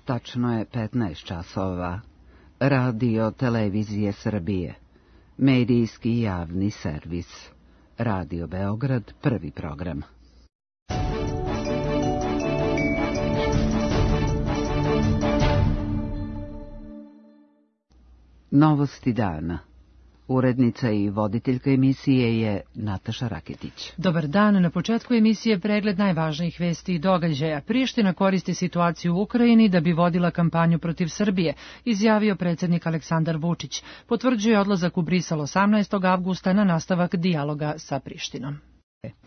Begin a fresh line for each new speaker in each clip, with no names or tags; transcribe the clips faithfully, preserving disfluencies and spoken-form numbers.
Tačno je petnaest časova. Radio Televizije Srbije. Medijski javni servis. Radio Beograd, prvi program. Novosti dana. Urednica i voditeljka emisije je Nataša Raketić.
Dobar dan, na početku emisije pregled najvažnijih vesti i događaja. Priština koristi situaciju u Ukrajini da bi vodila kampanju protiv Srbije, izjavio predsjednik Aleksandar Vučić. Potvrđuje odlazak u Brisel osamnaestog avgusta na nastavak dijaloga sa Prištinom.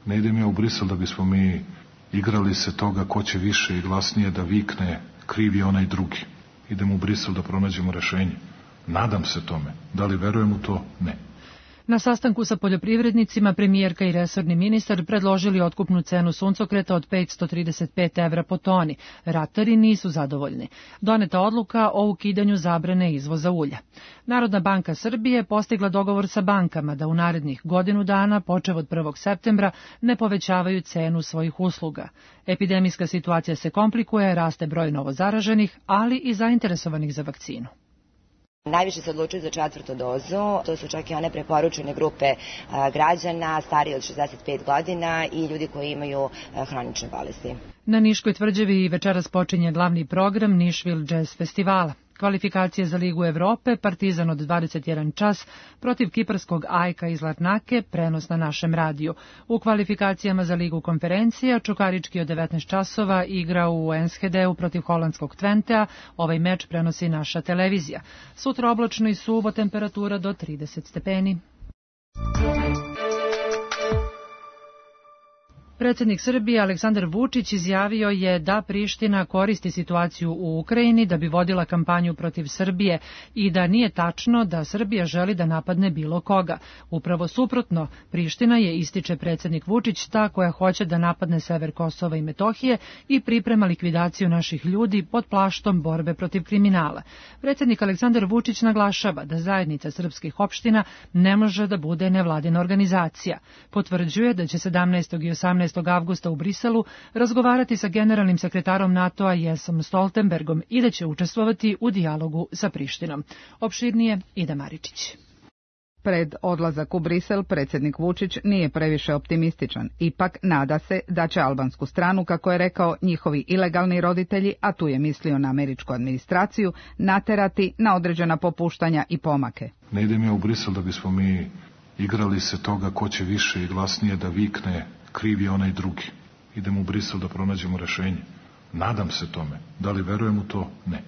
Ne idem ja u Brisel da bismo mi igrali se toga ko će više i glasnije da vikne kriv je onaj drugi. Idem u Brisel da pronađemo rešenje. Nadam se tome. Da li verujem u to? Ne.
Na sastanku sa poljoprivrednicima premijerka i resorni ministar predložili otkupnu cenu suncokreta od petsto trideset pet evra po toni. Ratari nisu zadovoljni. Doneta odluka o ukidanju zabrane izvoza ulja. Narodna banka Srbije postigla dogovor sa bankama da u narednih godinu dana, počev od prvog septembra, ne povećavaju cenu svojih usluga. Epidemijska situacija se komplikuje, raste broj novozaraženih, ali i zainteresovanih za vakcinu.
Najviše se odlučuju za četvrtu dozu, to su čak i one preporučene grupe građana, stariji od šezdeset pet godina i ljudi koji imaju hronične bolesti.
Na Niškoj tvrđavi večeras počinje glavni program Nišvil Jazz Festivala. Kvalifikacije za Ligu Evrope, Partizan od dvadeset jedan čas protiv kiparskog Ajka iz Larnake, prenos na našem radiju. U kvalifikacijama za Ligu konferencija Čukarički od devetnaest časova igra u Enschedeu protiv holandskog Twentea. Ovaj meč prenosi naša televizija. Sutra oblačno i suvo, temperatura do trideset stepeni. Predsjednik Srbije Aleksandar Vučić izjavio je da Priština koristi situaciju u Ukrajini da bi vodila kampanju protiv Srbije i da nije tačno da Srbija želi da napadne bilo koga. Upravo suprotno, Priština je, ističe predsjednik Vučić, ta koja hoće da napadne sever Kosova i Metohije i priprema likvidaciju naših ljudi pod plaštom borbe protiv kriminala. Predsjednik Aleksandar Vučić naglašava da zajednica srpskih opština ne može da bude nevladina organizacija. Potvrđuje da će sedamnaestog i osamnaestog avgusta u Briselu razgovarati sa generalnim sekretarom NATO-a Jensom Stoltenbergom i da će učestvovati u dijalogu sa Prištinom. Opširnije Ida Maričić.
Pred odlazak u Brisel predsjednik Vučić nije previše optimističan. Ipak nada se da će albansku stranu, kako je rekao, njihovi ilegalni roditelji, a tu je mislio na američku administraciju, naterati na određena popuštanja i pomake.
Ne idem ja u Brisel da bismo mi igrali se toga ko će više i glasnije da vikne kriv je onaj drugi. Idem u Brisel da pronađemo rešenje. Nadam se tome. Da li verujem u to? Ne.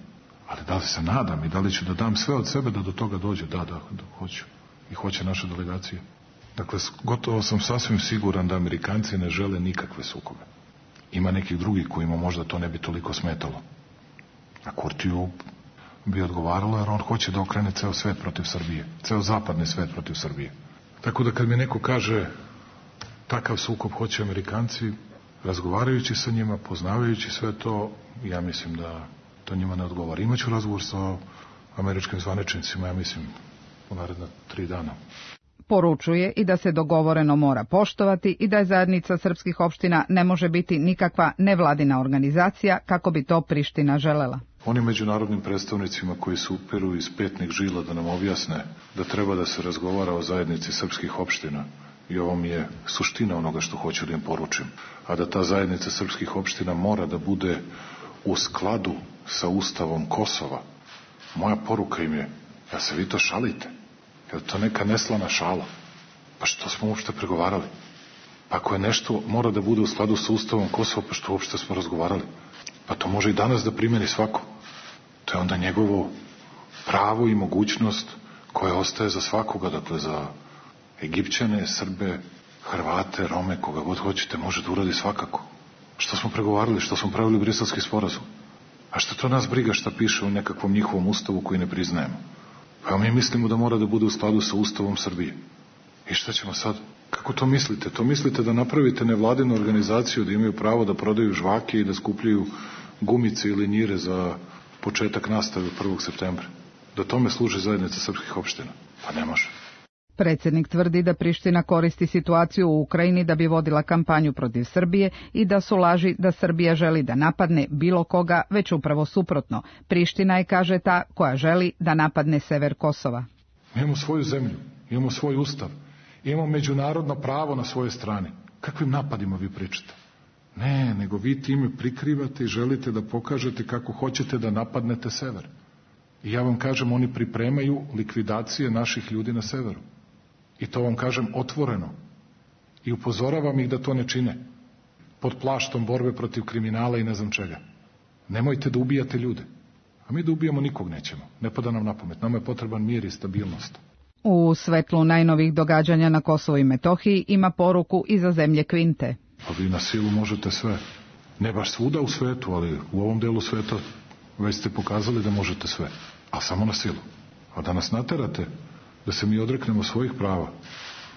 Ali da li se nadam i da li ću da dam sve od sebe da do toga dođe? Da, da, da hoću. I hoće naša delegacija. Dakle, gotovo sam sasvim siguran da Amerikanci ne žele nikakve sukobe. Ima nekih drugih kojima možda to ne bi toliko smetalo. A Kurtiju bi odgovaralo jer on hoće da okrene ceo svet protiv Srbije. Ceo zapadni svet protiv Srbije. Tako da kad mi neko kaže takav sukob hoće Amerikanci, razgovarajući sa njima, poznavajući sve to, ja mislim da to njima ne odgovara. Imaću razgovor sa američkim zvaničnicima, ja mislim, u naredna tri dana.
Poručuje i da se dogovoreno mora poštovati i da je zajednica srpskih opština ne može biti nikakva nevladina organizacija kako bi to Priština želela.
Onim međunarodnim predstavnicima koji se uperu iz petnih žila da nam objasne da treba da se razgovara o zajednici srpskih opština, i ovo mi je suština onoga što hoću da im poručim, a da ta zajednica srpskih opština mora da bude u skladu sa Ustavom Kosova. Moja poruka im je, ja se vi to šalite, je to neka neslana šala? Pa što smo uopšte pregovarali? Pa ako je nešto mora da bude u skladu sa Ustavom Kosova, pa što uopšte smo razgovarali? Pa to može i danas da primeni svako. To je onda njegovo pravo i mogućnost koja ostaje za svakoga, dakle za Egipćane, Srbe, Hrvate, Rome, koga god hoćete, može da uradi svakako. Što smo pregovarali, što smo pravili Briselski sporazum? A što to nas briga šta piše u nekakvom njihovom ustavu koji ne priznajemo? Pa mi mislimo da mora da bude u skladu sa Ustavom Srbije. I šta ćemo sad? Kako to mislite? To mislite da napravite nevladinu organizaciju, da imaju pravo da prodaju žvake i da skupljaju gumice ili njire za početak nastave prvog septembra? Da tome služi zajednica srpskih opština? Pa ne može.
Predsjednik tvrdi da Priština koristi situaciju u Ukrajini da bi vodila kampanju protiv Srbije i da su laži da Srbija želi da napadne bilo koga, već upravo suprotno. Priština je, kaže, ta koja želi da napadne sever Kosova.
Imamo svoju zemlju, imamo svoj ustav, imamo međunarodno pravo na svojoj strani. Kakvim napadima vi pričate? Ne, nego vi time prikrivate i želite da pokažete kako hoćete da napadnete sever. I ja vam kažem, oni pripremaju likvidacije naših ljudi na severu. I to vam kažem otvoreno. I upozoravam ih da to ne čine. Pod plaštom borbe protiv kriminala i ne znam čega. Nemojte da ubijate ljude. A mi da ubijamo nikog nećemo. Ne pada nam na pamet. Nama je potreban mir i stabilnost.
U svetlu najnovih događanja na Kosovu i Metohiji ima poruku i za zemlje Kvinte.
Pa vi na silu možete sve. Ne baš svuda u svetu, ali u ovom delu sveta već ste pokazali da možete sve. A samo na silu. A da nas naterate da se mi odreknemo svojih prava,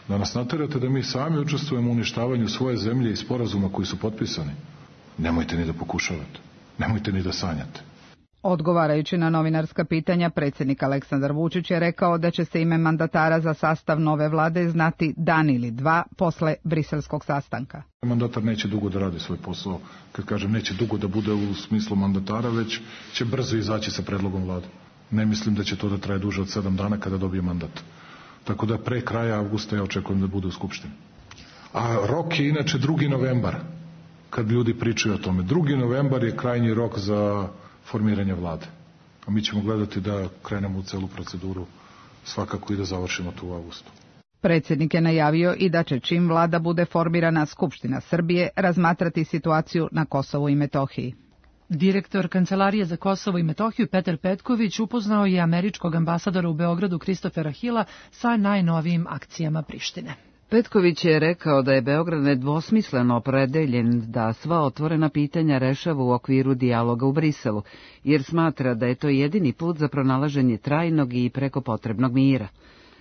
da nas naterate da mi sami učestvujemo u uništavanju svoje zemlje i sporazuma koji su potpisani, nemojte ni da pokušavate, nemojte ni da sanjate.
Odgovarajući na novinarska pitanja, predsjednik Aleksandar Vučić je rekao da će se ime mandatara za sastav nove vlade znati dan ili dva posle briselskog sastanka.
Mandatar neće dugo da radi svoj posao, kad kažem neće dugo da bude u smislu mandatara, već će brzo izaći sa predlogom vlade. Ne mislim da će to da traje duže od sedam dana kada dobije mandat. Tako da pre kraja avgusta ja očekujem da bude u Skupštini. A rok je inače drugi novembar, kad ljudi pričaju o tome. drugi novembar je krajnji rok za formiranje vlade. A mi ćemo gledati da krenemo u celu proceduru svakako i da završimo to u avgustu.
Predsjednik je najavio i da će čim vlada bude formirana Skupština Srbije razmatrati situaciju na Kosovu i Metohiji.
Direktor Kancelarije za Kosovo i Metohiju Petar Petković upoznao je američkog ambasadora u Beogradu Kristofera Hila sa najnovijim akcijama Prištine.
Petković je rekao da je Beograd nedvosmisleno opredeljen da sva otvorena pitanja rešava u okviru dijaloga u Briselu, jer smatra da je to jedini put za pronalaženje trajnog i preko potrebnog mira.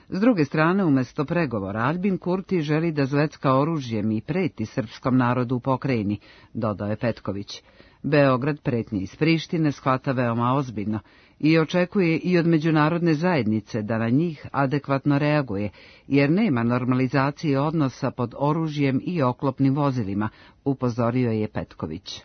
S druge strane, umjesto pregovora, Aljbin Kurti želi da zvecka oružjem i preti srpskom narodu u pokrajini, dodao je Petković. Beograd pretnje iz Prištine shvata veoma ozbiljno i očekuje i od međunarodne zajednice da na njih adekvatno reaguje, jer nema normalizacije odnosa pod oružjem i oklopnim vozilima, upozorio je Petković.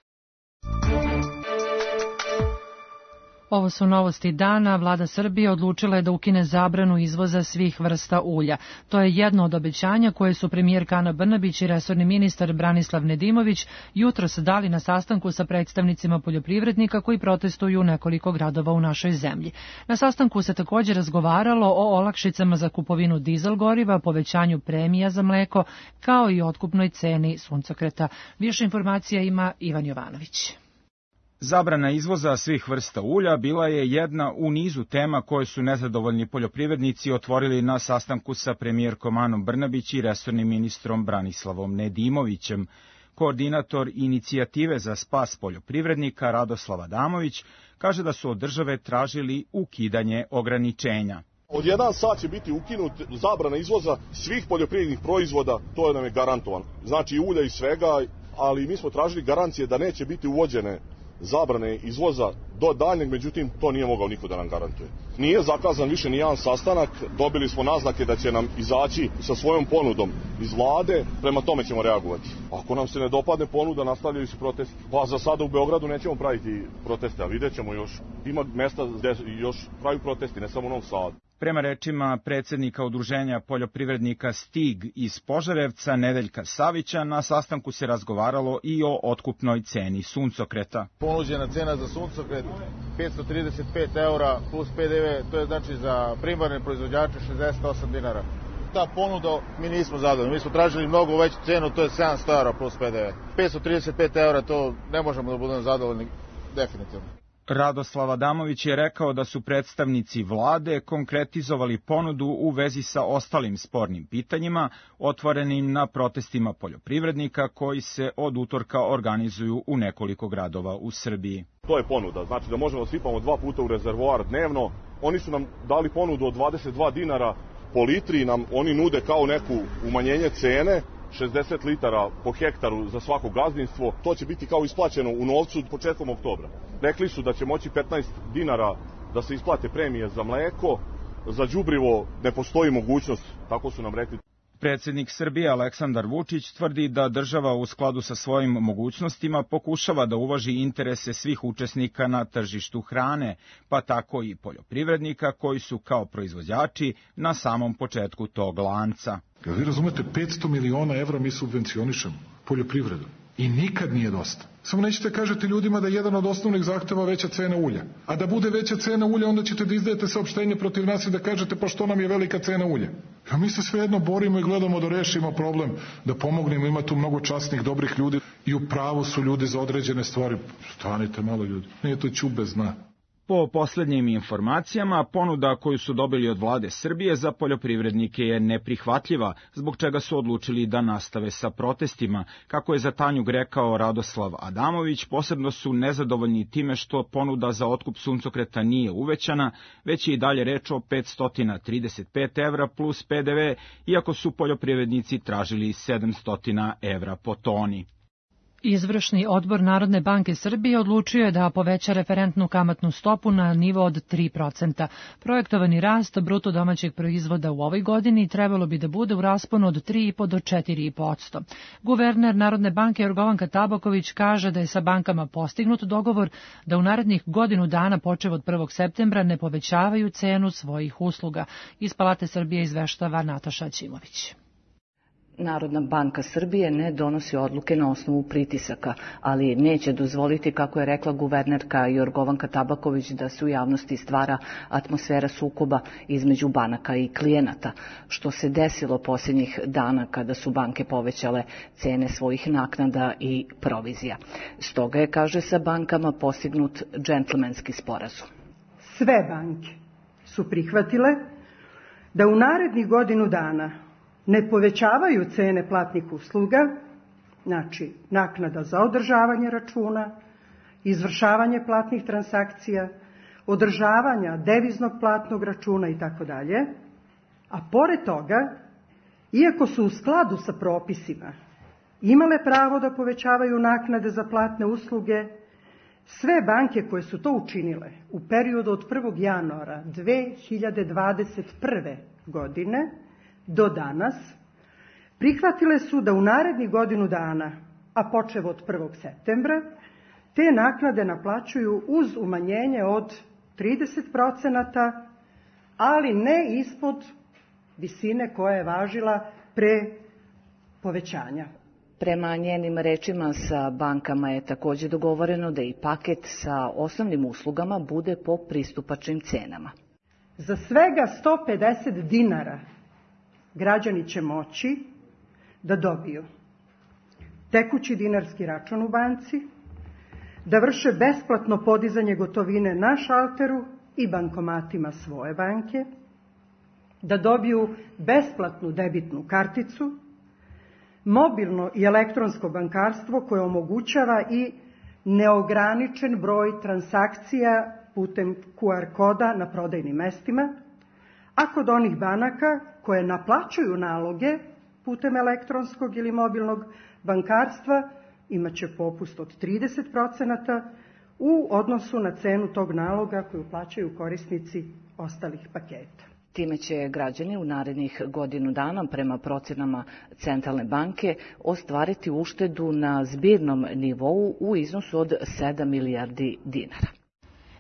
Ovo su novosti dana. Vlada Srbije odlučila je da ukine zabranu izvoza svih vrsta ulja. To je jedno od obećanja koje su premijerka Ana Brnabić i resorni ministar Branislav Nedimović jutros dali na sastanku sa predstavnicima poljoprivrednika koji protestuju u nekoliko gradova u našoj zemlji. Na sastanku se također razgovaralo o olakšicama za kupovinu dizel goriva, povećanju premija za mleko, kao i otkupnoj ceni suncokreta. Više informacija ima Ivan Jovanović.
Zabrana izvoza svih vrsta ulja bila je jedna u nizu tema koje su nezadovoljni poljoprivrednici otvorili na sastanku sa premijerkom Anom Brnabić i resornim ministrom Branislavom Nedimovićem. Koordinator inicijative za spas poljoprivrednika Radoslav Adamović kaže da su od države tražili ukidanje ograničenja.
Od jedan sat će biti ukinut zabrana izvoza svih poljoprivrednih proizvoda, to je nam je garantovan. Znači ulja i svega, ali mi smo tražili garancije da neće biti uvođene zabrane izvoza do daljnjeg, međutim to nije mogao niko da nam garantuje. Nije zakazan više ni jedan sastanak, dobili smo naznake da će nam izaći sa svojom ponudom iz vlade, prema tome ćemo reagovati. Ako nam se ne dopadne ponuda, nastavljaju se protesti. Pa za sada u Beogradu nećemo praviti proteste, a vidjet ćemo još, ima mesta gde još pravi protesti, ne samo u Novom Sadu.
Prema rečima predsjednika udruženja poljoprivrednika Stig iz Požarevca Nedeljka Savića, na sastanku se razgovaralo i o otkupnoj ceni suncokreta.
Ponuđena cena za suncokret petsto trideset pet eura plus P D V, to je znači za primarne proizvođače šezdeset osam dinara. Ta ponuda mi nismo zadovoljni, mi smo tražili mnogo veću cenu, to je sedamsto eura plus P D V. petsto trideset pet eura, to ne možemo da budemo zadovoljni definitivno.
Radoslav Adamović je rekao da su predstavnici vlade konkretizovali ponudu u vezi sa ostalim spornim pitanjima, otvorenim na protestima poljoprivrednika koji se od utorka organizuju u nekoliko gradova u Srbiji.
To je ponuda, znači da možemo da sipamo dva puta u rezervoar dnevno. Oni su nam dali ponudu od dvadeset dva dinara po litri, nam oni nude kao neku umanjenje cene, šezdeset litara po hektaru za svako gazdinstvo. To će biti kao isplaćeno u novcu početkom oktobra. Rekli su da će moći petnaest dinara da se isplate premije za mleko, za đubrivo ne postoji mogućnost, tako su nam rekli.
Predsjednik Srbije Aleksandar Vučić tvrdi da država u skladu sa svojim mogućnostima pokušava da uvaži interese svih učesnika na tržištu hrane, pa tako i poljoprivrednika koji su kao proizvođači na samom početku tog lanca.
Jel vi razumete, petsto miliona evra mi subvencionišemo poljoprivredu i nikad nije dosta. Samo nećete kažete ljudima da je jedan od osnovnih zahteva veća cena ulja. A da bude veća cena ulja, onda ćete da izdajete saopštenje protiv nas i da kažete pa što nam je velika cena ulja. Ja mi se svejedno borimo i gledamo da rešimo problem, da pomognemo, ima tu mnogo časnih, dobrih ljudi i u pravu su ljudi za određene stvari. Stanite malo ljudi, nije to ćube zna.
Po posljednjim informacijama, ponuda koju su dobili od vlade Srbije za poljoprivrednike je neprihvatljiva, zbog čega su odlučili da nastave sa protestima. Kako je za Tanjug rekao Radoslav Adamović, posebno su nezadovoljni time što ponuda za otkup suncokreta nije uvećana, već je i dalje reč o petsto trideset pet evra plus P D V, iako su poljoprivrednici tražili sedamsto evra po toni.
Izvršni odbor Narodne banke Srbije odlučio je da poveća referentnu kamatnu stopu na nivo od tri procenta. Projektovani rast bruto domaćeg proizvoda u ovoj godini trebalo bi da bude u rasponu od tri i po do četiri i po posto. Guverner Narodne banke Jorgovanka Tabaković kaže da je sa bankama postignut dogovor da u narednih godinu dana počev od prvog septembra ne povećavaju cenu svojih usluga. Iz Palate Srbije izveštava Nataša Ćimović.
Narodna banka Srbije ne donosi odluke na osnovu pritisaka, ali neće dozvoliti, kako je rekla guvernerka Jorgovanka Tabaković, da se u javnosti stvara atmosfera sukoba između banaka i klijenata, što se desilo posljednjih dana kada su banke povećale cene svojih naknada i provizija. Stoga je, kaže, sa bankama postignut džentlmenski sporazum.
Sve banke su prihvatile da u narednih godinu dana ne povećavaju cene platnih usluga, znači naknada za održavanje računa, izvršavanje platnih transakcija, održavanja deviznog platnog računa i tako dalje, a pored toga, iako su u skladu sa propisima imale pravo da povećavaju naknade za platne usluge, sve banke koje su to učinile u periodu od prvog januara dve hiljade dvadeset prve. godine do danas, prihvatile su da u narednih godinu dana, a počev od prvog septembra, te naknade naplaćuju uz umanjenje od trideset procenata, ali ne ispod visine koja je važila pre povećanja.
Prema njenim rečima, sa bankama je također dogovoreno da i paket sa osnovnim uslugama bude po pristupačnim cenama.
Za svega sto pedeset dinara građani će moći da dobiju tekući dinarski račun u banci, da vrše besplatno podizanje gotovine na šalteru i bankomatima svoje banke, da dobiju besplatnu debitnu karticu, mobilno i elektronsko bankarstvo koje omogućava i neograničen broj transakcija putem Q R koda na prodajnim mestima, a kod onih banaka koje naplaćuju naloge putem elektronskog ili mobilnog bankarstva imat će popust od trideset procenata u odnosu na cenu tog naloga koju plaćaju korisnici ostalih paketa.
Time će građani u narednih godinu dana, prema procenama Centralne banke, ostvariti uštedu na zbirnom nivou u iznosu od sedam milijardi dinara.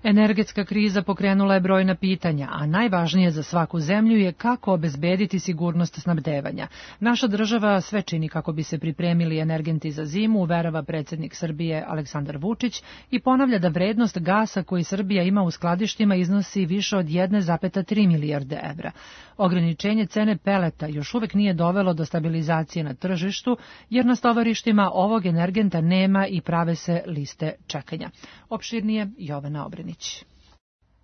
Energetska kriza pokrenula je brojna pitanja, a najvažnije za svaku zemlju je kako obezbediti sigurnost snabdevanja. Naša država sve čini kako bi se pripremili energenti za zimu, uverava predsjednik Srbije Aleksandar Vučić i ponavlja da vrednost gasa koji Srbija ima u skladištima iznosi više od jedne zarez tri milijarde evra. Ograničenje cene peleta još uvek nije dovelo do stabilizacije na tržištu, jer na stovarištima ovog energenta nema i prave se liste čekanja. Opširnije Jovana Obrenić.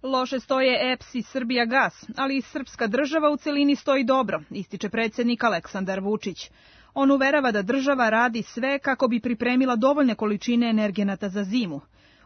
Loše stoje E P S i Srbijagas, ali i srpska država u celini stoji dobro, ističe predsjednik Aleksandar Vučić. On uverava da država radi sve kako bi pripremila dovoljne količine energenata za zimu.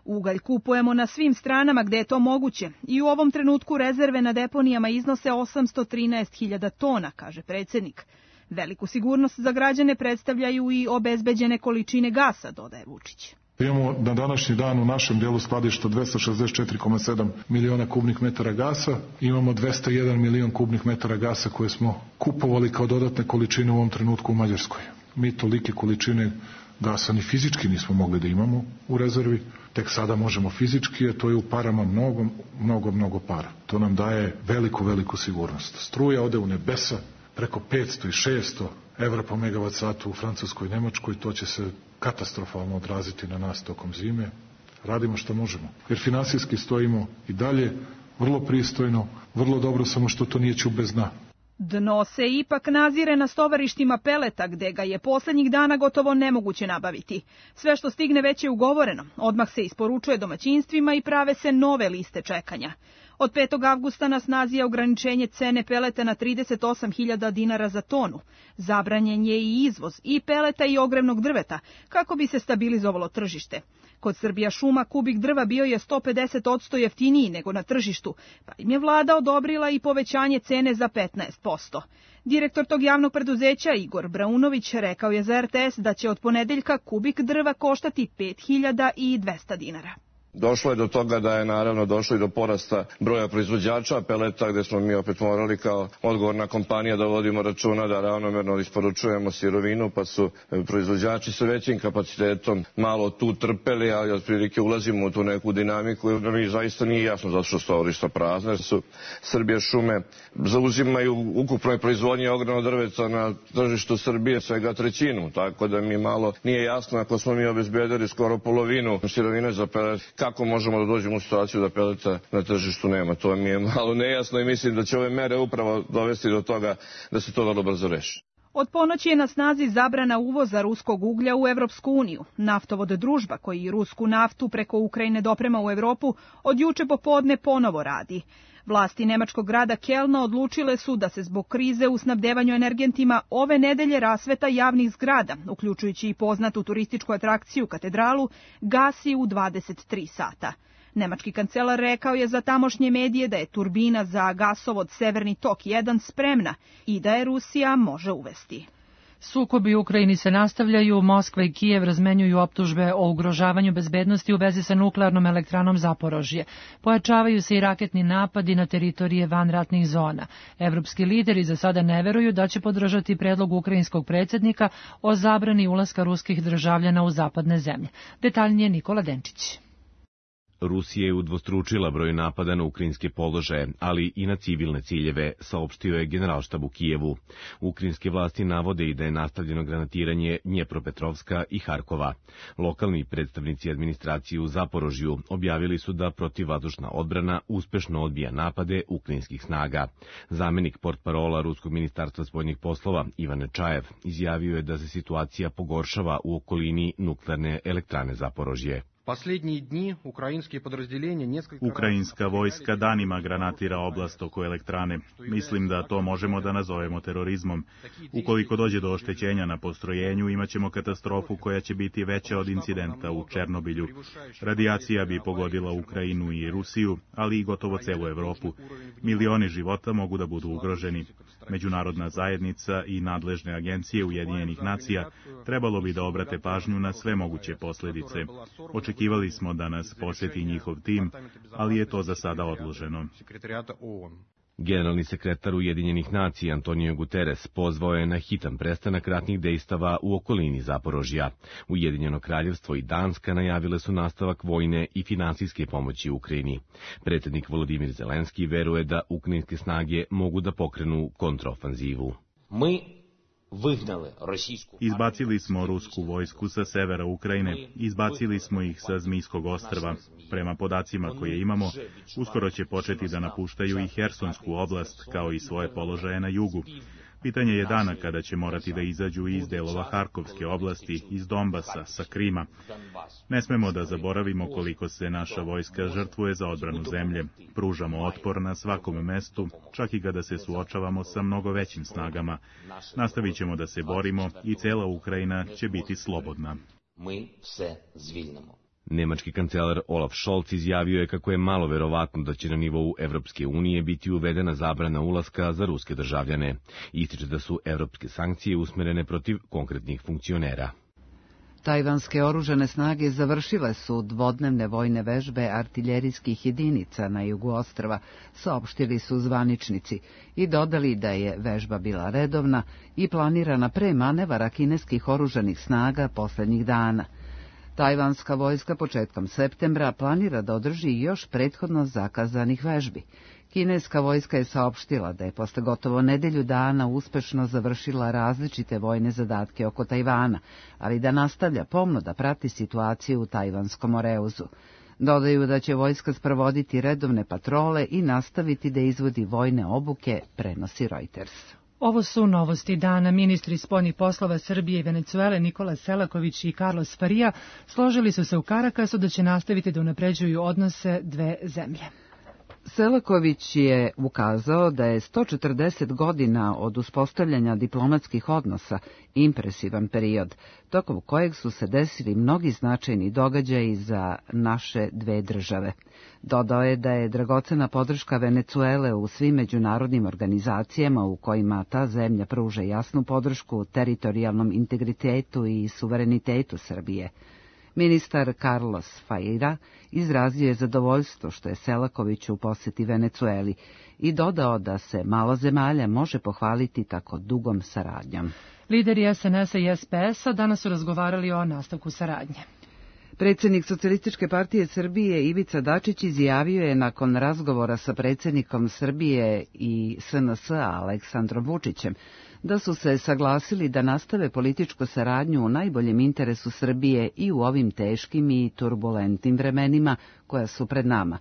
Ugalj kupujemo na svim stranama gde je to moguće i u ovom trenutku rezerve na deponijama iznose osamsto trinaest hiljada tona, kaže predsjednik. Veliku sigurnost za građane predstavljaju i obezbeđene količine gasa, dodaje Vučić.
Imamo na današnji dan u našem delu skladišta dvesta šezdeset četiri zarez sedam miliona kubnih metara gasa, imamo dvesta jedan milion kubnih metara gasa koje smo kupovali kao dodatne količine u ovom trenutku u Mađarskoj. Mi tolike količine gasa ni fizički nismo mogli da imamo u rezervi, tek sada možemo fizički, a to je u parama mnogo, mnogo, mnogo para. To nam daje veliku, veliku sigurnost. Struja ode u nebesa, preko petsto i šesto evra po megavat satu u Francuskoj i Nemačkoj, to će se katastrofalno odraziti na nas tokom zime. Radimo što možemo. Jer finansijski stojimo i dalje vrlo pristojno, vrlo dobro, samo što to nije ćub bez dna.
Dno se ipak nazire na stovarištima peleta, gde ga je poslednjih dana gotovo nemoguće nabaviti. Sve što stigne već je ugovoreno, odmah se isporučuje domaćinstvima i prave se nove liste čekanja. Od petog avgusta na snazi je ograničenje cene peleta na trideset osam hiljada dinara za tonu. Zabranjen je i izvoz i peleta i ogrevnog drveta, kako bi se stabilizovalo tržište. Kod Srbija šuma kubik drva bio je sto pedeset posto jeftiniji nego na tržištu, pa im je vlada odobrila i povećanje cene za petnaest posto. Direktor tog javnog preduzeća Igor Braunović rekao je za er te es da će od ponedeljka kubik drva koštati pet hiljada dvesta dinara.
Došlo je do toga da je naravno došlo i do porasta broja proizvođača peleta, gde smo mi opet morali kao odgovorna kompanija da vodimo računa da ravnomerno isporučujemo sirovinu, pa su proizvođači sa većim kapacitetom malo tu trpeli, ali otprilike ulazimo u tu neku dinamiku. Mi zaista nije jasno zato što stovarišta prazne su. Srbija šume zauzimaju ukupnoj proizvodnji ogrevnog drveta na tržištu Srbije svega trećinu, tako da mi malo nije jasno ako smo mi obezbedili skoro polovinu sirovine za pelet, kako možemo da dođemo u situaciju da peleta na tržištu nema. To mi je malo nejasno i mislim da će ove mere upravo dovesti do toga da se to vrlo brzo reši.
Od ponoći je na snazi zabrana uvoza ruskog uglja u Evropsku uniju. Naftovod Družba, koji rusku naftu preko Ukrajine doprema u Evropu, od juče popodne ponovo radi. Vlasti nemačkog grada Kelna odlučile su da se zbog krize u snabdevanju energentima ove nedelje rasveta javnih zgrada, uključujući i poznatu turističku atrakciju katedralu, gasi u dvadeset tri sata. Nemački kancelar rekao je za tamošnje medije da je turbina za gasovod Severni tok jedan spremna i da je Rusija može uvesti.
Sukobi u Ukrajini se nastavljaju, Moskva i Kijev razmenjuju optužbe o ugrožavanju bezbednosti u vezi sa nuklearnom elektranom Zaporožje. Pojačavaju se i raketni napadi na teritorije vanratnih zona. Evropski lideri za sada ne veruju da će podržati predlog ukrajinskog predsjednika o zabrani ulaska ruskih državljana u zapadne zemlje. Detaljnije Nikola Denčić.
Rusija je udvostručila broj napada na ukrajinske položaje, ali i na civilne ciljeve, saopštio je Generalštab u Kijevu. Ukrajinske vlasti navode i da je nastavljeno granatiranje Dnjepropetrovska i Harkova. Lokalni predstavnici administracije u Zaporožju objavili su da protivvazdušna odbrana uspešno odbija napade ukrajinskih snaga. Zamenik portparola Ruskog ministarstva spoljnih poslova Ivan Nečajev izjavio je da se situacija pogoršava u okolini nuklearne elektrane Zaporožje.
Ukrajinska vojska danima granatira oblast oko elektrane. Mislim da to možemo da nazovemo terorizmom. Ukoliko dođe do oštećenja na postrojenju, imaćemo katastrofu koja će biti veća od incidenta u Černobilju. Radijacija bi pogodila Ukrajinu i Rusiju, ali i gotovo celu Evropu. Milioni života mogu da budu ugroženi. Međunarodna zajednica i nadležne agencije Ujedinjenih nacija trebalo bi da obrate pažnju na sve moguće posljedice. Očekivali smo da nas posjeti njihov tim, ali je to za sada odloženo.
Generalni sekretar Ujedinjenih nacija Antonio Guterres pozvao je na hitan prestanak ratnih dejstava u okolini Zaporožja. Ujedinjeno kraljevstvo i Danska najavile su nastavak vojne i finansijske pomoći Ukrajini. Predsjednik Volodimir Zelenski veruje da ukrajinske snage mogu da pokrenu kontraofanzivu.
Mi Izbacili smo rusku vojsku sa severa Ukrajine, izbacili smo ih sa Zmijskog ostrva. Prema podacima koje imamo, uskoro će početi da napuštaju i Hersonsku oblast, kao i svoje položaje na jugu. Pitanje je dana kada će morati da izađu iz delova Harkovske oblasti, iz Donbasa, sa Krima. Ne smemo da zaboravimo koliko se naša vojska žrtvuje za odbranu zemlje. Pružamo otpor na svakom mestu, čak i kada se suočavamo sa mnogo većim snagama. Nastavit ćemo da se borimo i cela Ukrajina će biti slobodna.
Nemački kancelar Olaf Scholz izjavio je kako je malo verovatno da će na nivou Evropske unije biti uvedena zabrana ulaska za ruske državljane. Ističe da su evropske sankcije usmerene protiv konkretnih funkcionera.
Tajvanske oružane snage završile su dvodnevne vojne vežbe artiljerijskih jedinica na jugu ostrva, saopštili su zvaničnici i dodali da je vežba bila redovna i planirana pre manevara kineskih oružanih snaga poslednjih dana. Tajvanska vojska početkom septembra planira da održi još prethodno zakazanih vežbi. Kineska vojska je saopštila da je posle gotovo nedelju dana uspešno završila različite vojne zadatke oko Tajvana, ali da nastavlja pomno da prati situaciju u Tajvanskom Moreuzu. Dodaju da će vojska sprovoditi redovne patrole i nastaviti da izvodi vojne obuke, prenosi Reuters.
Ovo su novosti dana. Ministri spoljnih poslova Srbije i Venecuele Nikola Selaković i Carlos Faria složili su se u Karakasu da će nastaviti da unapređuju odnose dve zemlje.
Selaković je ukazao da je sto četrdeset godina od uspostavljanja diplomatskih odnosa impresivan period, tokom kojeg su se desili mnogi značajni događaji za naše dve države. Dodao je da je dragocena podrška Venecuele u svim međunarodnim organizacijama u kojima ta zemlja pruža jasnu podršku teritorijalnom integritetu i suverenitetu Srbije. Ministar Carlos Faria izrazio je zadovoljstvo što je Selaković u poseti Venecueli i dodao da se malo zemalja može pohvaliti tako dugom saradnjom.
Lideri es en es a i es pe es-a danas su razgovarali o nastavku saradnje.
Predsjednik Socijalističke partije Srbije Ivica Dačić izjavio je nakon razgovora sa predsjednikom Srbije i es en es-a Aleksandrom Vučićem da su se saglasili da nastave političku saradnju u najboljem interesu Srbije i u ovim teškim i turbulentnim vremenima koja su pred nama.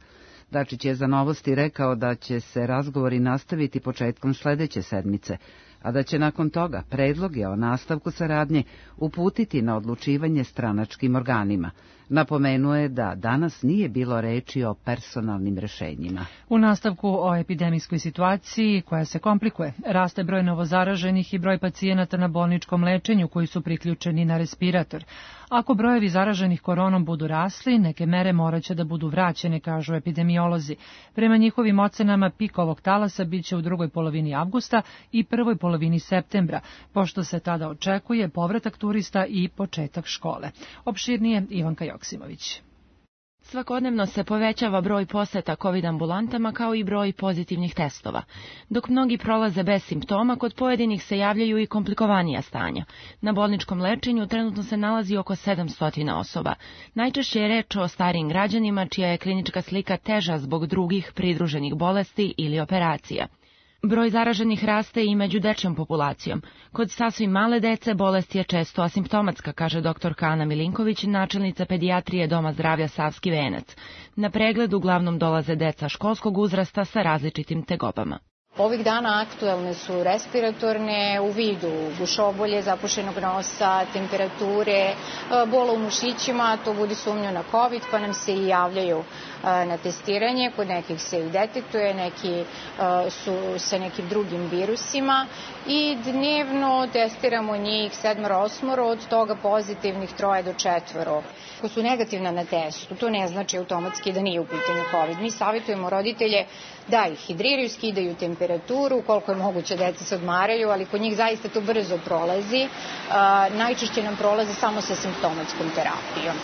Dačić je za Novosti rekao da će se razgovori nastaviti početkom sledeće sedmice, a da će nakon toga predloge o nastavku saradnje uputiti na odlučivanje stranačkim organima. Napomenuo je da danas nije bilo reči o personalnim rešenjima.
U nastavku o epidemijskoj situaciji koja se komplikuje, raste broj novozaraženih i broj pacijenata na bolničkom lečenju koji su priključeni na respirator. Ako brojevi zaraženih koronom budu rasli, neke mere moraće da budu vraćene, kažu epidemiolozi. Prema njihovim ocenama, pik ovog talasa biće u drugoj polovini avgusta i prvoj polovini septembra, pošto se tada očekuje povratak turista i početak škole. Opširnije Ivanka Joksimović.
Svakodnevno se povećava broj poseta COVID ambulantama kao i broj pozitivnih testova. Dok mnogi prolaze bez simptoma, kod pojedinih se javljaju i komplikovanija stanja. Na bolničkom lečenju trenutno se nalazi oko sedamsto osoba. Najčešće je reč o starijim građanima čija je klinička slika teža zbog drugih pridruženih bolesti ili operacija. Broj zaraženih raste i među dečjom populacijom. Kod sasvim male dece bolest je često asimptomatska, kaže doktorka Ana Milinković, načelnica pedijatrije Doma zdravlja Savski Venac. Na pregled uglavnom dolaze deca školskog uzrasta sa različitim tegobama.
Ovih dana aktuelne su respiratorne u vidu gušobolje, zapušenog nosa, temperature, bola u mušićima, to budi sumnju na COVID, pa nam se i javljaju na testiranje. Kod nekih se i detektuje, neki su sa nekim drugim virusima i dnevno testiramo njih sedmoro, osmoro, od toga pozitivnih troje do četvoro. Ako su negativna na testu, to ne znači automatski da nije u pitanju COVID. Mi savjetujemo roditelje da ih hidriraju, skidaju temperaturu, koliko je moguće deca se odmaraju, ali kod njih zaista to brzo prolazi. Najčešće nam prolazi samo sa simptomatskom terapijom.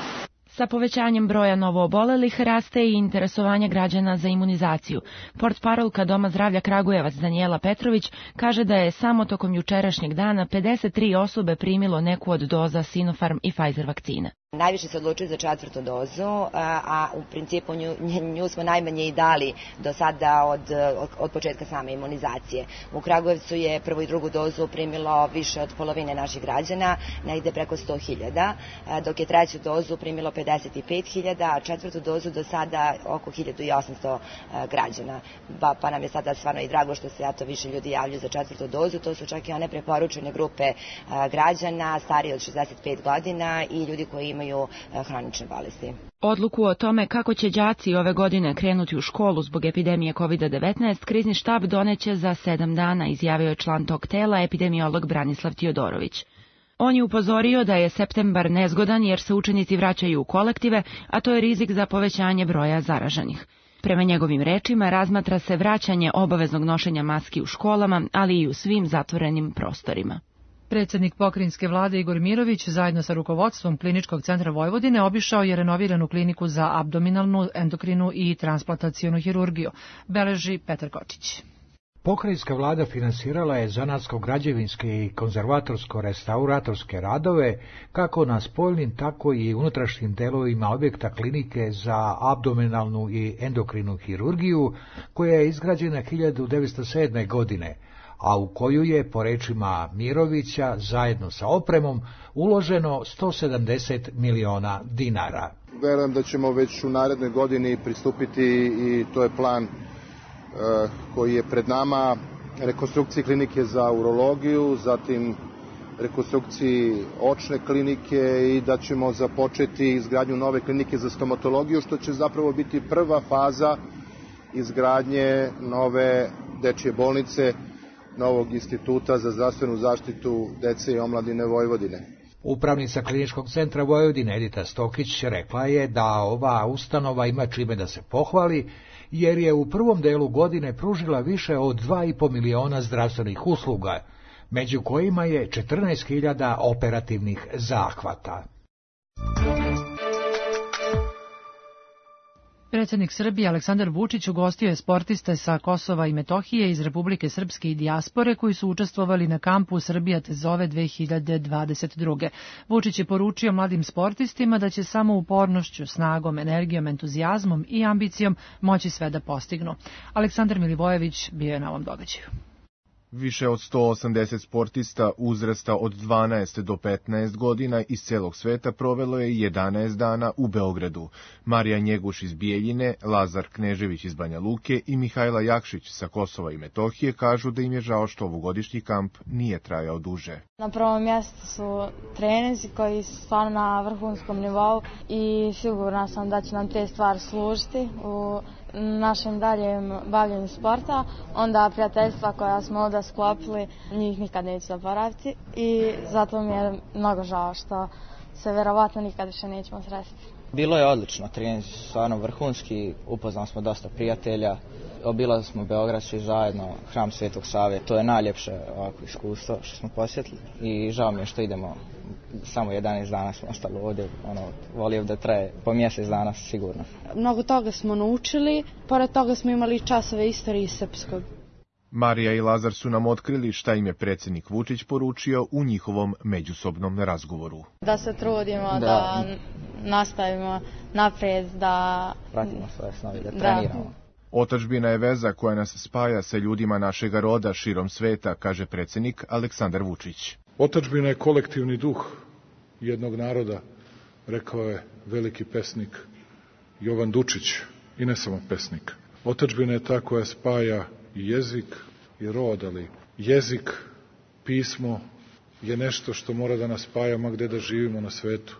Sa povećanjem broja novoobolelih raste i interesovanje građana za imunizaciju. Portparolka Doma zdravlja Kragujevac Danijela Petrović kaže da je samo tokom jučerašnjeg dana pedeset tri osobe primilo neku od doza Sinopharm i Pfizer vakcine.
Najviše se odlučuju za četvrtu dozu, a u principu nju, nju smo najmanje i dali do sada od, od, od početka same imunizacije. U Kragujevcu je prvu i drugu dozu primilo više od polovine naših građana, negde preko sto hiljada, dok je treću dozu primilo pedeset pet hiljada, a četvrtu dozu do sada oko hiljadu osamsto građana. Pa, pa nam je sada stvarno i drago što se zato više ljudi javljaju za četvrtu dozu. To su čak i one preporučene grupe građana, stariji od šezdeset pet godina i ljudi koji imaju hronične bolesti.
Odluku o tome kako će đaci ove godine krenuti u školu zbog epidemije kovid devetnaest, krizni štab doneće za sedam dana, izjavio je član tog tela epidemiolog Branislav Tijodorović. On je upozorio da je septembar nezgodan jer se učenici vraćaju u kolektive, a to je rizik za povećanje broja zaraženih. Prema njegovim rečima razmatra se vraćanje obaveznog nošenja maski u školama, ali i u svim zatvorenim prostorima.
Predsjednik pokrajinske vlade Igor Mirović zajedno sa rukovodstvom Kliničkog centra Vojvodine obišao je renoviranu kliniku za abdominalnu, endokrinu i transplantacionu hirurgiju, beleži Petar Kočić.
Pokrajinska vlada finansirala je zanatsko-građevinske i konzervatorsko-restauratorske radove kako na spoljnim, tako i unutrašnjim delovima objekta klinike za abdominalnu i endokrinu hirurgiju, koja je izgrađena hiljadu devetsto sedme. godine, a u koju je, po rečima Mirovića, zajedno sa opremom, uloženo sto sedamdeset miliona dinara.
Verujem da ćemo već u narednoj godini pristupiti, i to je plan koji je pred nama, rekonstrukciji klinike za urologiju, zatim rekonstrukciji očne klinike, i da ćemo započeti izgradnju nove klinike za stomatologiju, što će zapravo biti prva faza izgradnje nove dečje bolnice, novog instituta za zdravstvenu zaštitu dece i omladine Vojvodine.
Upravnica Kliničkog centra Vojvodine Edita Stokić rekla je da ova ustanova ima čime da se pohvali, jer je u prvom delu godine pružila više od dva i po miliona zdravstvenih usluga, među kojima je četrnaest hiljada operativnih zahvata.
Predsjednik Srbije Aleksandar Vučić ugostio je sportiste sa Kosova i Metohije iz Republike Srpske i dijaspore koji su učestvovali na kampu Srbija te zove dve hiljade dvadeset druge. Vučić je poručio mladim sportistima da će samo upornošću, snagom, energijom, entuzijazmom i ambicijom moći sve da postignu. Aleksandar Milivojević bio je na ovom događaju.
Više od sto osamdeset sportista uzrasta od dvanaest do petnaest godina iz celog sveta provelo je jedanaest dana u Beogradu. Marija Njeguš iz Bijeljine, Lazar Knežević iz Banja Luke i Mihajla Jakšić sa Kosova i Metohije kažu da im je žao što ovogodišnji kamp nije trajao duže.
Na prvom mjestu su treninzi koji su stvarno na vrhunskom nivou i sigurna sam da će nam te stvari služiti u našem daljem bavljenju sporta. Onda prijateljstva koja smo ovdje sklopili, njih nikad neću zaboraviti i zato mi je mnogo žao što se verovatno nikad više nećemo sresti.
Bilo je odlično, treninzi su stvarno vrhunski, upoznali smo dosta prijatelja, obilazili smo Beograd svi zajedno, hram Svetog Save, to je najljepše ovako iskustvo što smo posjetili i žao mi je što idemo, samo jedanaest dana smo ostali ovdje, ono, volio da traje po mjesec dana sigurno.
Mnogo toga smo naučili, pored toga smo imali časove istorije srpskog.
Marija i Lazar su nam otkrili šta im je predsjednik Vučić poručio u njihovom međusobnom razgovoru.
Da se trudimo, da,
da
nastavimo naprijed, da
pratimo svoje snovi, da treniramo. Da.
Otadžbina je veza koja nas spaja sa ljudima našega roda širom sveta, kaže predsjednik Aleksandar Vučić.
Otadžbina je kolektivni duh jednog naroda, rekao je veliki pesnik Jovan Dučić, i ne samo pesnik. Otadžbina je ta koja spaja i jezik i rod, ali jezik, pismo je nešto što mora da nas spaja ma gde da živimo na svetu.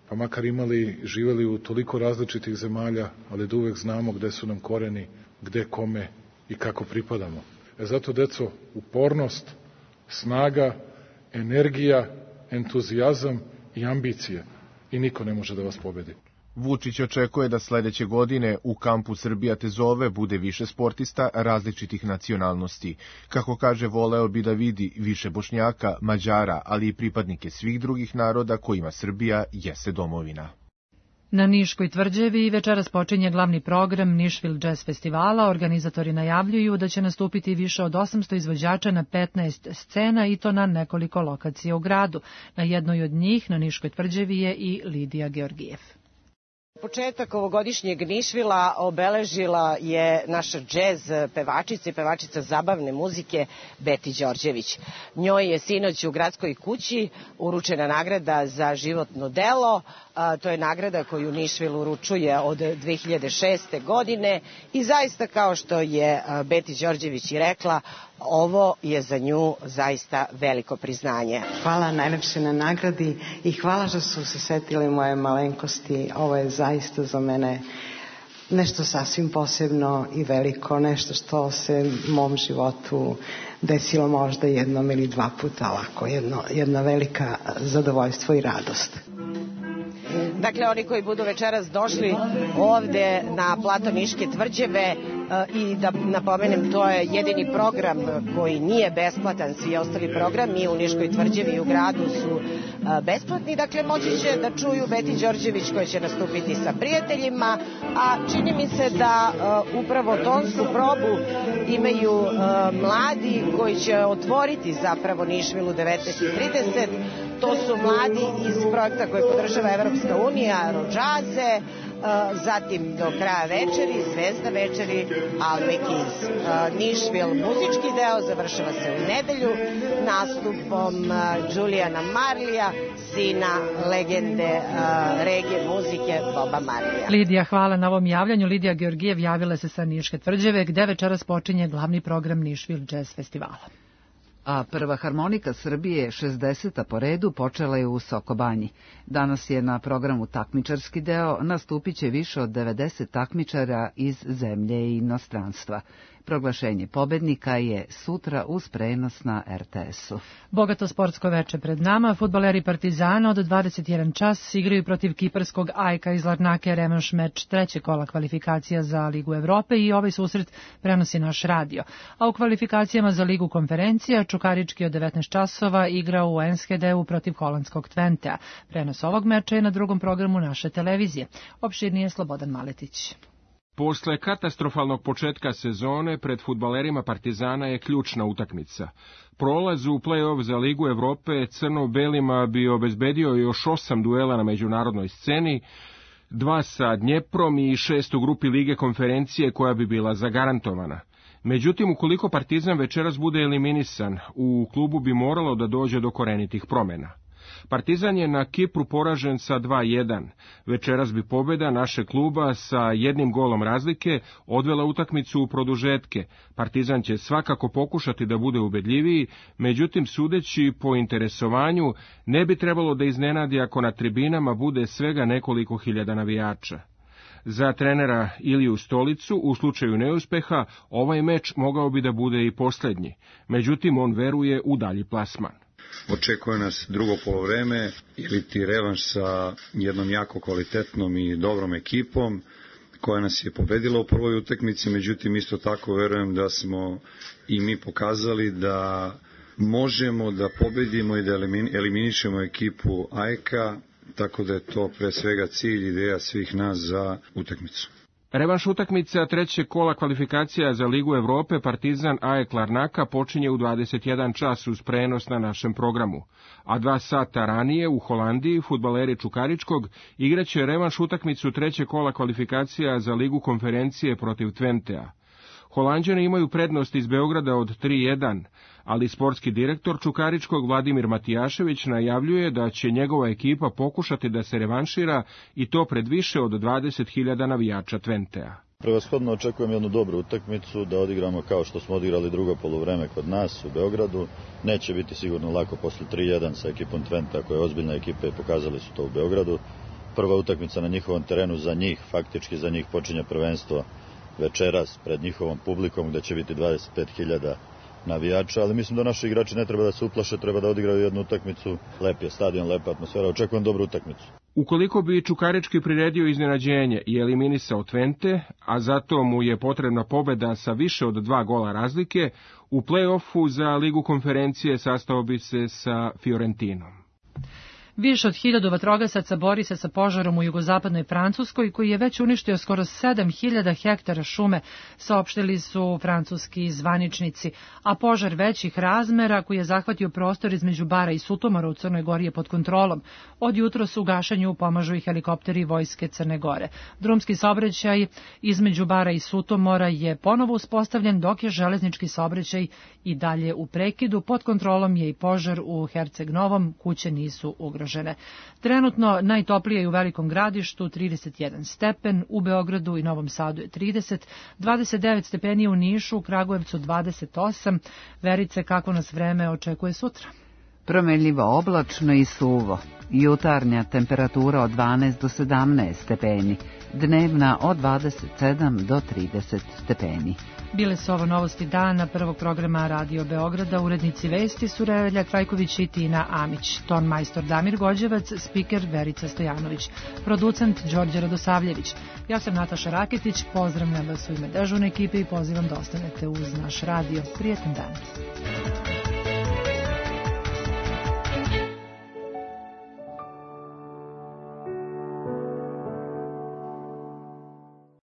Pa makar imali, živeli u toliko različitih zemalja, ali da uvek znamo gde su nam koreni, gde, kome i kako pripadamo. E zato, deco, upornost, snaga, energija, entuzijazam i ambicije. I niko ne može da vas pobedi.
Vučić očekuje da sledeće godine u kampu Srbija te zove bude više sportista različitih nacionalnosti. Kako kaže, voleo bi da vidi više Bošnjaka, Mađara, ali i pripadnike svih drugih naroda kojima Srbija jeste domovina.
Na Niškoj tvrđavi večeras počinje glavni program Nišvil Jazz Festivala. Organizatori najavljuju da će nastupiti više od osamsto izvođača na petnaest scena i to na nekoliko lokacija u gradu. Na jednoj od njih, na Niškoj tvrđavi, je i Lidija Georgijev.
Početak ovogodišnjeg Nišvila obeležila je naša džez pevačica i pevačica zabavne muzike Beti Đorđević. Njoj je sinoć u gradskoj kući uručena nagrada za životno delo. To je nagrada koju Nišvil uručuje od dve hiljade šeste. godine i zaista, kao što je Beti Đorđević i rekla, ovo je za nju zaista veliko priznanje.
Hvala najlepše na nagradi i hvala što su se setili moje malenkosti. Ovo je zaista za mene nešto sasvim posebno i veliko, nešto što se u mom životu desilo možda jednom ili dva puta, ovako, jedno, jedna velika zadovoljstvo i radost.
Dakle, oni koji budu večeras došli ovde na plato Niške tvrđave, i da napomenem, to je jedini program koji nije besplatan, svi ostali programi u Niškoj tvrđavi i u gradu su besplatni, dakle moći će da čuju Beti Đorđević koja će nastupiti sa prijateljima, a čini mi se da upravo tonsku probu imaju mladi koji će otvoriti zapravo Nišvilu devetnaest trideset. To su mladi iz projekta koji podržava Evropska unija, Rodžaze, zatim do kraja večeri, Zvezda večeri, Alvekiz. Nišvil muzički deo završava se u nedelju nastupom Julijana Marlija, sina legende regije muzike Boba Marlija.
Lidija, hvala na ovom javljanju. Lidija Georgijev javila se sa Niške tvrđave, gde večeras počinje glavni program Nišvil Jazz festivala.
A prva harmonika Srbije, šezdeseta po redu, počela je u Sokobanji. Danas je na programu takmičarski deo, nastupit će više od devedeset takmičara iz zemlje i inostranstva. Proglašenje pobednika je sutra uz prenos na er te esu.
Bogato sportsko veče pred nama. Fudbaleri Partizana od dvadeset jedan čas igraju protiv kiparskog Ajka iz Larnake, revanš meč treće kola kvalifikacija za Ligu Evrope i ovaj susret prenosi naš radio. A u kvalifikacijama za Ligu konferencija Čukarički od devetnaest časova igra u Enschedeu protiv holandskog Twentea. Prenos ovog meča je na drugom programu naše televizije. Opširnije Slobodan Maletić.
Posle katastrofalnog početka sezone pred fudbalerima Partizana je ključna utakmica. Prolaz u play-off za Ligu Evrope crno-belima bi obezbedio još osam duela na međunarodnoj sceni, dva sa Dnjeprom i šest u grupi Lige konferencije koja bi bila zagarantovana. Međutim, ukoliko Partizan večeras bude eliminisan, u klubu bi moralo da dođe do korenitih promjena. Partizan je na Kipru poražen sa dva jedan. Večeras bi pobjeda naše kluba sa jednim golom razlike odvela utakmicu u produžetke. Partizan će svakako pokušati da bude ubedljiviji, međutim sudeći po interesovanju ne bi trebalo da iznenadi ako na tribinama bude svega nekoliko hiljada navijača. Za trenera Iliju Stolicu, u slučaju neuspeha, ovaj meč mogao bi da bude i posljednji. Međutim, on veruje u dalji plasman.
Očekuje nas drugo polovreme ili ti revanš sa jednom jako kvalitetnom i dobrom ekipom koja nas je pobedila u prvoj utakmici, međutim isto tako verujem da smo i mi pokazali da možemo da pobedimo i da eliminišemo ekipu Ajka, tako da je to pre svega cilj, ideja svih nas za utakmicu.
Revanš utakmica trećeg kola kvalifikacija za Ligu Evrope Partizan A E K Larnaka počinje u dvadeset jedan čas uz prenos na našem programu, a dva sata ranije u Holandiji fudbaleri Čukaričkog igraće revanš utakmicu trećeg kola kvalifikacija za Ligu konferencije protiv Twentea. Holanđani imaju prednost iz Beograda od tri jedan, ali sportski direktor Čukaričkog Vladimir Matijašević najavljuje da će njegova ekipa pokušati da se revanšira i to pred više od dvadeset hiljada navijača Twentea.
Prevashodno očekujem jednu dobru utakmicu, da odigramo kao što smo odigrali drugo poluvreme kod nas u Beogradu. Neće biti sigurno lako posle tri jedan sa ekipom Twentea, koja je ozbiljna ekipa i pokazali su to u Beogradu. Prva utakmica na njihovom terenu za njih, faktički za njih počinje prvenstvo večeras pred njihovom publikom gde će biti dvadeset pet hiljada navijača, ali mislim da naši igrači ne treba da se uplaše, treba da odigraju jednu utakmicu. Lep je stadion, lepa atmosfera, očekujem dobru utakmicu.
Ukoliko bi Čukarički priredio iznenađenje i eliminisao Twente, a zato mu je potrebna pobeda sa više od dva gola razlike, u play-offu za Ligu konferencije sastao bi se sa Fiorentinom.
Više od hiljadu vatrogasaca bori se sa požarom u jugozapadnoj Francuskoj, koji je već uništio skoro sedam hiljada hektara šume, saopštili su francuski zvaničnici, a požar većih razmera koji je zahvatio prostor između Bara i Sutomora u Crnoj Gori je pod kontrolom. Od jutros u gašenju pomažu i helikopteri vojske Crne Gore. Drumski saobraćaj između Bara i Sutomora je ponovo uspostavljen, dok je železnički saobraćaj i dalje u prekidu. Pod kontrolom je i požar u Herceg Novom, kuće nisu ugrožene. Trenutno najtoplije je u Velikom Gradištu trideset jedan stepen, u Beogradu i Novom Sadu je trideset, dvadeset devet stepeni u Nišu, u Kragujevcu dvadeset osam. Verice, kako nas vreme očekuje sutra?
Promenljivo oblačno i suvo. Jutarnja temperatura od dvanaest do sedamnaest stepeni, dnevna od dvadeset sedam do trideset stepeni.
Bile su ovo novosti dana prvog programa Radio Beograda. Urednici vesti su Relja Trajković i Tina Amić, ton majstor Damir Gođevac, spiker Verica Stojanović, producent Đorđe Radosavljević. Ja sam Nataša Raketić, pozdravljam vas u ime dežurne ekipe i pozivam da ostanete uz naš radio. Prijetan dan.